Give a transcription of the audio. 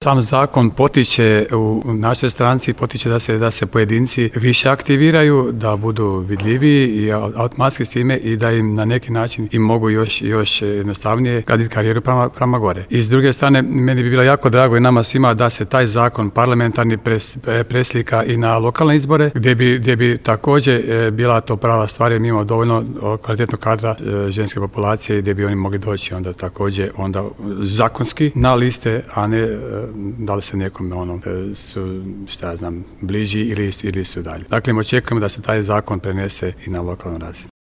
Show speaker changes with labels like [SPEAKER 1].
[SPEAKER 1] Sam zakon potiče u našoj stranci, potiče da se pojedinci više aktiviraju, da budu vidljiviji i automatski s time i da im na neki način im mogu još jednostavnije graditi karijeru prema gore. I s druge strane, meni bi bilo jako drago i nama svima da se taj zakon parlamentarni preslika i na lokalne izbore, gdje bi također bila to prava stvar, jer mi imamo dovoljno kvalitetnog kadra ženske populacije gdje bi oni mogli doći onda također zakonski na liste, a ne da li se nekome su, bliži ili su dalje. Dakle, očekujemo da se taj zakon prenese i na lokalnu razinu.